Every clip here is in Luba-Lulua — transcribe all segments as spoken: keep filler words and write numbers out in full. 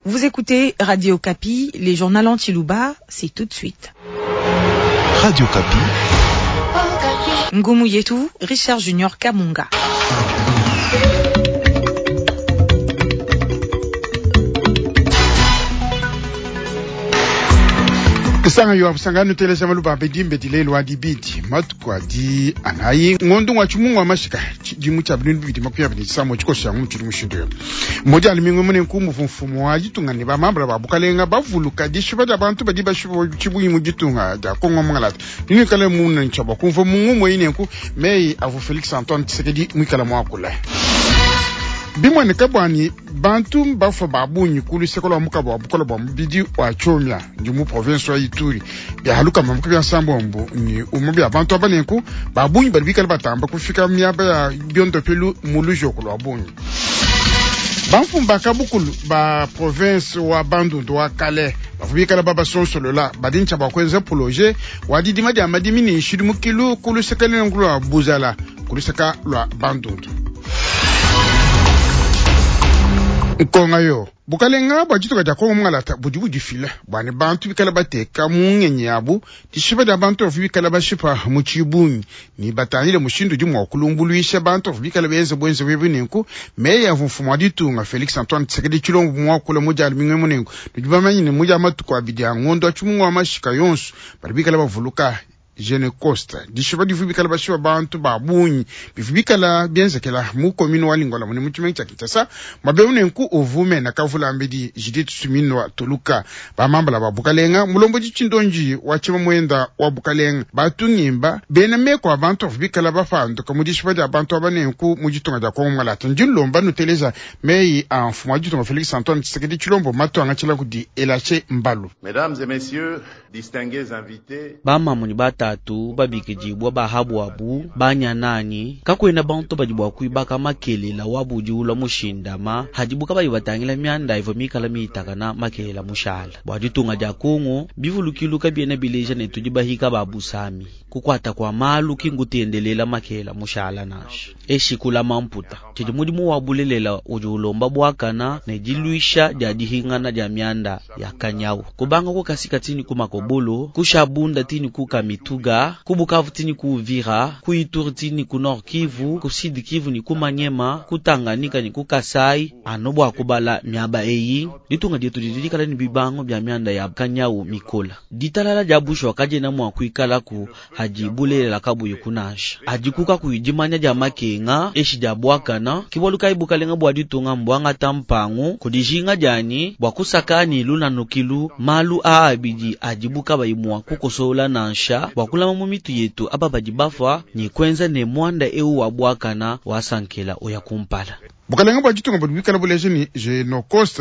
Vous écoutez Radio Okapi, les journaux en tshiluba, c'est tout de suite. Radio Okapi. Ngomu Yetu, Richard Junior Kamunga. Kisanga yo abusanga nuteleza maluba bedimbe dilelo adibidi matuku adi anayi ngondo wa chimungu amashika chidimu cha bintu bibidi makumi abiri samo chikosha mu chiri mushindo moja alimingo mune nkumu mfumo wa jitunga ne bamambra babukalenga bavuluka dishiba da bantu badi bashibo chibuyi mu jitunga da Kongo mangalata nini kale mu nchaba kumva mungu moyine nku mei avu Felix Antoine Tshisekedi mwikala mwakula bimwene kabwani bantu bafa babunyi kulu sekolo muka bwa bukola bwa mubidi wa chomya ndi mu province wa Ituri bya haluka mamuka bya sambombo ni umu bya bantu abanenku babunyi bali bikala batamba kufika myaba ya byondo pelu mulujo kulwa bunyi bamfumba kabukulu ba province wa Bandundu wa Kale bafubikala baba sonsolola badincha bakwenza projet wa didima dia madimi ni shidimukilu kulu sekele ngulwa buzala kulu seka lwa Bandundu nkonga yo bukalenga bwa dituka dia kongo mungalata budi budifila bwani bantu bikala bateka mu ngenyi yabu dishipa dia bantu bavu bikala bashipa mu tshibungi ni batangile mushindu di mua kulumbuluisha bantu bavu bikala benza bwenze bwebu nenku meyi avu mfumu wa ditunga Felix Antoine Tshisekedi Tshilombo muakula mu dia lumingu munenku nudi bamanye ne mu dia matuku abidi a ngondo a tshimungu wa mashika yonso badi bikala bavuluka Genocost dishipa divu bikala bashipa bantu babunyi bivu bikala bienzekela mu commune wa Lingwala mune mu tshimenga tshia Kinshasa mabeu nenku uvume na kavula mbedi Judith Suminwa Tuluka bamambala ba bukalenga mulombo ditshindonji wa tshima mwenda wa bukalenga batungimba bena meko abantu bavu bikala bapanduka mu dishipa dia bantu aba nenku mu ditunga dia Kongo Malata ndi nlomba nuteleza meyi a mfumu wa ditunga Felix Antoine Tshisekedi Tshilombo matuanga tshila kudi Elache Mbalu. Mesdames et messieurs, distingués invités, bamamu ni batatu babikidibwa bahabwabu banyanani kakwena bantu badi bua kuibaka makelela wabudi ulwa mushindama hadibuka badi batangila mianda ivo mikala miitakana makelela mushala bua ditunga dia Kongo bivulukilu kabiena bileja ne tudi bahika babusami kukwata kwa malu kingutendelela makelela mushala nasha eshikula mamputa tshidi mudimu wa bulelela udi ulomba bwakana ne diluisha dia dihingana dia mianda ya kanyawu kubanga kukasika tini kumakobolo kushabunda tini kukamituga kubukavu tini kuuvira kuituri tini ku Nord Kivu ku Sud Kivu ni kumanyema kutanganika ni kukasai ano bwa kubala miaba eyi ditunga dietu didikala ni bibango bya mianda ya kanyawu mikola ditalala dia bushwa kajena mwa kuikalaku hajibulelela kabuyi kunasha adikuka kuyidimanya dia makenga eshi dia bwakana kibwaluka ibukalenga bwa ditunga mbwanga tampangu kudijinga jani bwa kusakani lunanukilu malu a abidi adibuka bayimwa kukosola nansha bwa kulama mu mitu yetu aba badi bafa ni kwenza ne mwanda eu wa bwakana wasankela oya kumpala bukalenga bwa ditunga budi bikala buleja ni Genocost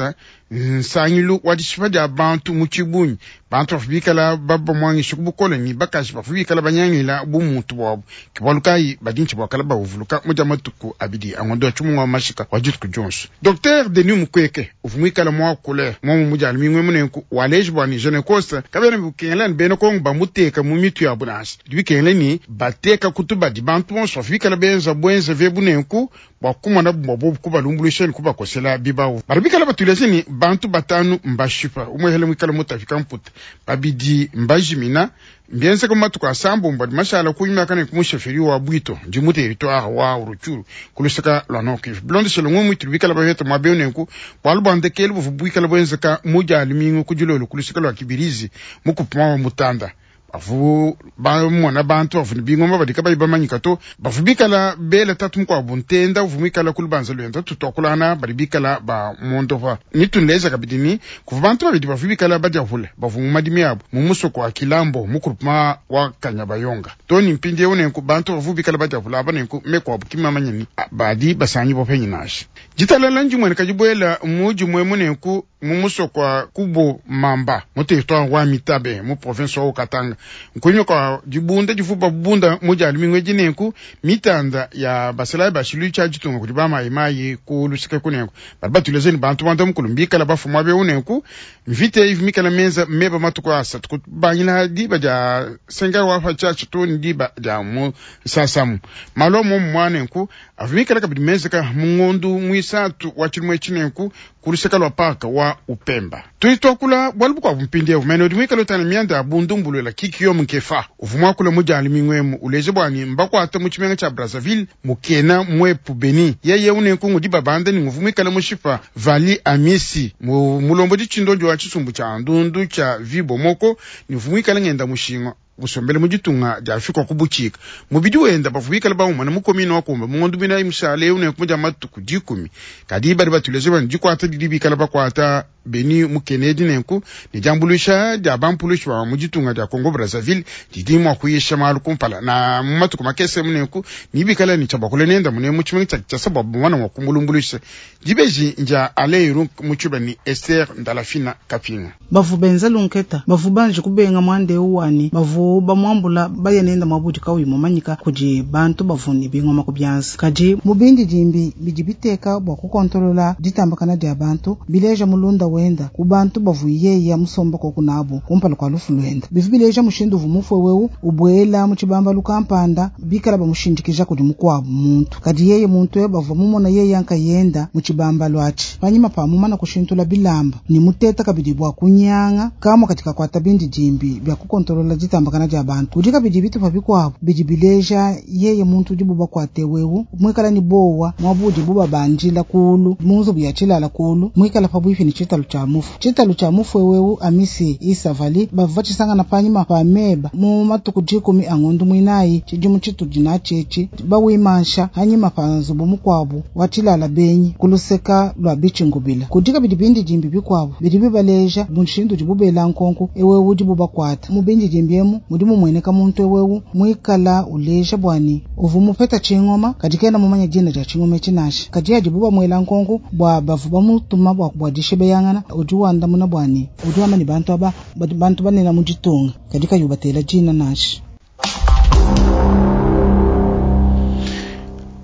nsangilu wa dishipa dia bantu mu tshibunyi bantu bafu bikala babamwangisha ku ni bakaji bafu bikala banyangila bumuntu bwabu kibwalukayi badinchi bwakala bavuluka mu dia matuku abidi angondo tshimungu wa mashika wa dituku dionso Docteur Denis Mukwege uvu mwikala mwakule mwamu mu dia lumingu munenku waleji bwa ni Genocost kabena bukengela ni bena Kongo bamuteka mu mitu ya bunasi bikengela ni bateka kutubadi bantu bonso bafu bikala benza bwenza ve bunenku bwa kumona bwa bobu kubalumbuluisha ni kubakosela bibawu bari bikala batulese ni bantu batanu mbashipa umwehele mwikala mutafika mputa babidi mbajimina mbienzeka matuku asambombo adi mashala kunyuma ne kumusheferi wa bwito ndi mu territoire wa Rutshuru kuluseka lwa Nord Kivu bilondeshele ng'omu itulu bikala baveta mwabeu nenku bwalu bwa ndekelu buvu bwikala bwenzeka mudia lumingu kudilolo kuluseka lwa Kibirizi mukupuma wa mutanda bavu bamona bantu bavu bingoma badika bayi bamanyika to bavu bikala bela tatu mukwabu ntenda uvu mwikala kulubanza lwenda tutwakulana badi bikala ba mondova nitunleza kabidi ni kuva bantu babidi bavu bikala badiavula bavu mu madimi abo mu musoko wa Kilambo mu groupement wa Kanyabayonga to ni mpindiewu nenku bantu bavu bikala badiavula aba nenku mekwabu kimamanya ni badi basanyi bopenyi nasha ditalala ndimwene kadibwela muji mwemu nenku mu musoko wa Kubo Mamba mu territoire wa Mitabe mu province wa Katanga nkunywa kwa dibunda divuba bunda muja lumingu edinenku mitanda ya basalayi bashilu tshia ditunga kudi bamayimayi ku luseke kunenku badi batulezeni bantu banda mukulu mbikala bafuma beu nenku mvita ivi mikala menza meba matuku asatu kubangila diba dia senga wa tshiatshi to ni diba dia mu sasamu malomo mwanenku avu mikala kabidi menzeka mu ngondu muisatu wa tshilumwe tshinenku ku luseke lua parka wa uvua upemba. Tudi tuakula bualu bukuabu mpindieu mene udi muikale utana mianda ya bundumbulula Kikiyo Nkefa uvua muakule mu dia lumingu emu uleja bua ne mbakuata mu tshimenga tshia Brazzaville mukena mwepu Beni yeye unenku ngudi babanda ne nguvu muikale mushipa Vali Amisi mu mulombodi tshindondi wa tshisumbu tshia ndundu tshia Vibomoko ne uvu muikale ngenda mushinga musombele mu ditunga dia Afrika ku butshika mubidi wenda bavua bikale bamumana mu komine wa Kumba mu ngondo binayi mushale unenku mu dia matuku dikumi kadi badi batuleje bani dikuata didi bikale bakuata Beni mukenedi nenku ne diambuluisha dia bampulushi ba mu ditunga dia Congo Brazzaville didi mua kuyisha malu kumpala na mu matuku makese munenku nibikale ne tshiabakule nenda mune mu tshimenga tshia Kinshasa bua bamana mua kumulumbuluisha dibeji ndia Aleiru mu tshiba ni Esther Ndalafina Kapinga. Bavu benza lunketa bavu banje kubenga mwande uwani bavu bamwambula bayenenda mwabudi kauyi mumanyika kudi bantu bavuni bingoma ku byanza kadi mubindi dimbi bidi biteka bua kukontolola ditambakana dia bantu bileja mulunda wenda ku bantu bavuyeya musomba koku nabo kumpala kwa lufu lwenda bivu bileja mushindu uvu mufwe wewu ubwela mu tshibambalu kampanda bikala bamushindikija kudi mukuabu muntu kadi yeye muntu we bavua mumona yeye ankayenda mu tshibambalu atshi panyima pa mumana kushintula bilamba ni muteta kabidi bua kunyanga kamwe katika kwata bindi dimbi bya kukontolola ditambakana dia bantu kudi kabidi bitupa bikuabu bidi bileja yeye muntu udi bubakwate wewu mwikala ni bowa mwabudi bubabanjila kulu munzubu ya tshilala kulu mwikala pabwifi ni tshitalu tshia mufu tshitalu tshia mufu wewu amisi isavali bava tshisangana panyima pa meba mu matuku dikumi angondu mwinayi tshidimu tshitudi na tshetshi bawimansha hanyima pa nzubu mukuabu wa tshilala benyi kuluseka lwa bitshingubila kudi kabidi bindi dimbi bikuabu bidi bibaleja mushindu udi bubela nkonko ewewu udi bubakwata mu bindi dimbi emu mudi mumueneka muntu ewewu mwikala uleja bwani uvu mupeta tshingoma kadi kena mumanya dina dia tshingoma etshi kadi adi bubamwela nkonko bua bavu bamutuma bua bua dishebeyangana udi wandamuna bwani udi wamba ni bantu aba bantu banena mu ditunga kadi kayi ubatela dina nansha.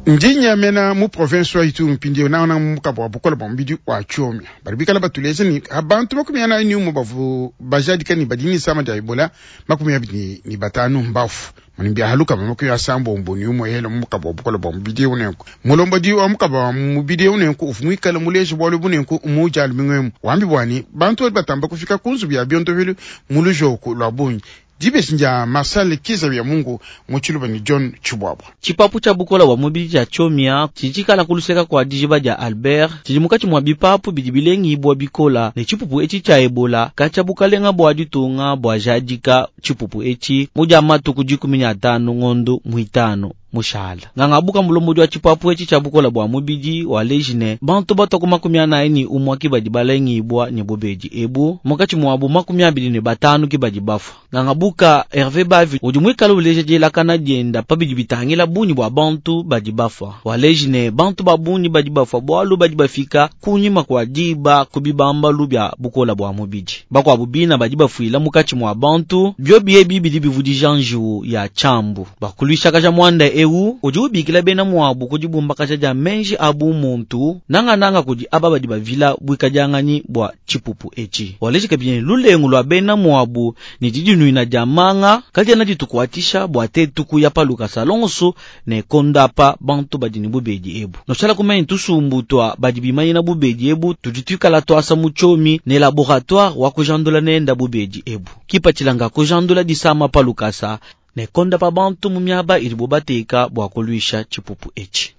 Ndinyamena mu province wa Ituri mpindieu naona mukabo wa bukola bwa mubidi wa Tchomia bari bikala batuleja ni abantu makumi anayi ni umwe bavu bajadika ni badi nisama dia Ebola makumi abiri ni batanu mbafu manimbi ahaluka makumi asambombo ni umwe hela mukabo wa bukola bwa mubidi unenku mulombodi wa mukabo wa mubidi unenku ufu mwikala muleje bwalo bunenku umujali mingwemu wambi bwani bantu bali batamba kufika kunzu bya bionto mulujoko lwa bungi dibeji ndia Marcel Kiza bya Mungu muchiluba ni John Chibwabwa. Tshipapu tshia bukola bwa mubidi tshia Tchomia tshitshikala kuluseka kua dijiba dia Albert tshidi mukatshi mua bipapu bidi bilengibwa bikola ne tshipupu etshi tshia Ebola katshia bukalenga bua ditunga bua jadika tshipupu etshi mu dia matuku dikumi ne atanu ngondo muitanu mushala ngangabuka mulombodi wa tshipapu etshi tshia bukola bua mubidi wa lejine bantu batwa makumi anayi ni umwe ki badi balengibwa ne bobedi ebu mukatshi muabu makumi abidi ne batanu ki badi bafua. Ngangabuka Hervé Bavi udi muikala uleja dielakana dienda pabidi bitangila bungi bua bantu badi bafua wa lejine bantu ba bungi badi bafua bualu badi bafika kunyima kua diba ku bibambalu bia bukola bua mubidi bakuabu bina badi bafuila mukatshi mua bantu biobi ebi bidi bivudija njiwu ya tshiambu bakuluishakaja muanda eu udi ubikila bena muabu kudi bumbakaja dia menji abu muntu nangananga kudi aba badi bavila buikadianganyi bua tshipupu etshi waleji kabidi lulengu lua bena muabu ni didinuina dia manga kadiena ditukuatisha bua tetu kuya paluka salonso ne kondapa bantu badi ne bubedi ebu noshala kumanya tusumbu tua badi bimanyina bubedi ebu tudi tuikala tuasa mu tshiomi ne laboratoire wa kujandula nenda bubedi ebu kipatshilanga kujandula disama palukasa ne konda pa bantu mu miaba ilibo bateka bua kuluisha tshipupu etshi.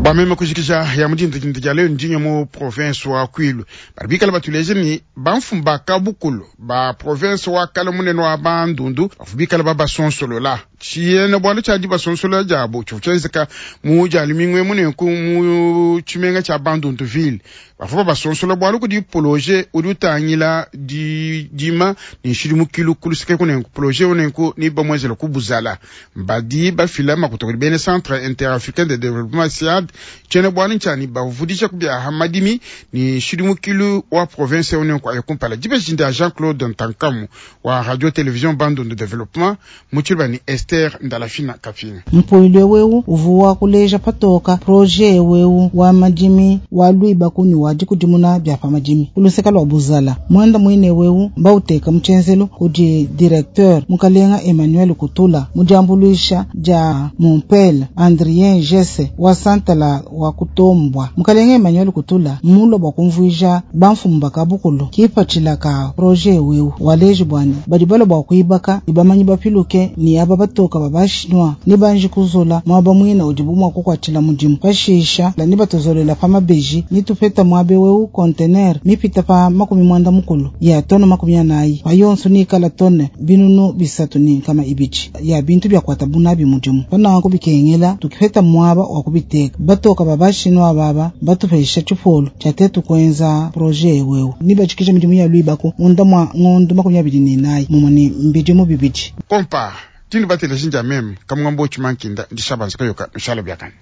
Bameme kujikija ya mudindu dindu dia leo ndinyo mu province wa Kwilu bari bikala batuleje ni bamfumu ba kabukulu ba province wa kala munene wa Bandundu bafu bikala babasonsolola tshiena bualu tshia dibasonsolola diabo tshivu tshienzeka mu dia lumingu munenku mu tshimenga tshia Bandundu ville bafu babasonsola bualu kudi projet udi utangila di dima ni nshidimukilu kuluseke kunenku projet unenku ni bamwezela kubuzala badi bafila makuta kudi bene Centre Interafricain de Développement SIAD tshiena bualu ntshani bavudisha kubia hamadimi ni nshidimukilu wa province unenku ayekumpala dibeji ndia Jean-Claude Ntankamu wa radio télévision Bandundu Développement mutshiluba ni Esther Ndalafina Kafina. Mpuilwe wewu uvuwa kuleja patoka projet wewu wa madimi wa luibaku ni wa dikudimuna bya pa madimi kuluseka lwa buzala mwenda mwine wewu mbauteka mutshenzelu kudi directeur mukalenga Emmanuel Kutula mudiambuluisha dia Montpel Andrien Jesse wa Santa mpala wa kutombwa. Mukalenge Emmanuel Kutula mulwa bwa kumvuija bamfumu bakabukulu kipatshila ka projet wewu waleji bwani badi bala bwa kuibaka ni bamanyi bapiluke ni aba batoka babashinwa ni banji kuzola mwaba mwina udi bumwa kukwatshila mudimu pashisha ni batuzolela pa mabeji ni tupeta mwabe wewu container mipita pa makumi mwanda mukulu ya tone makumi anayi pa yonso nikala tone binunu bisatu ni nkama ibiji ya bintu byakwata bunabi mudimu pananku bikengela tukipeta mwaba wa kubiteka batoka babashinwa baba batupesha tshipolo tshatetu kwenza projet wewu ni bajikisha midimu ya lwibako munda mwa ng'ondo makumi abili n'inayi mumwe ni mbidimu bibidi kompa tini batele jinja meme kamwambo chimankinda ndishabanza kayoka mishalo byakani.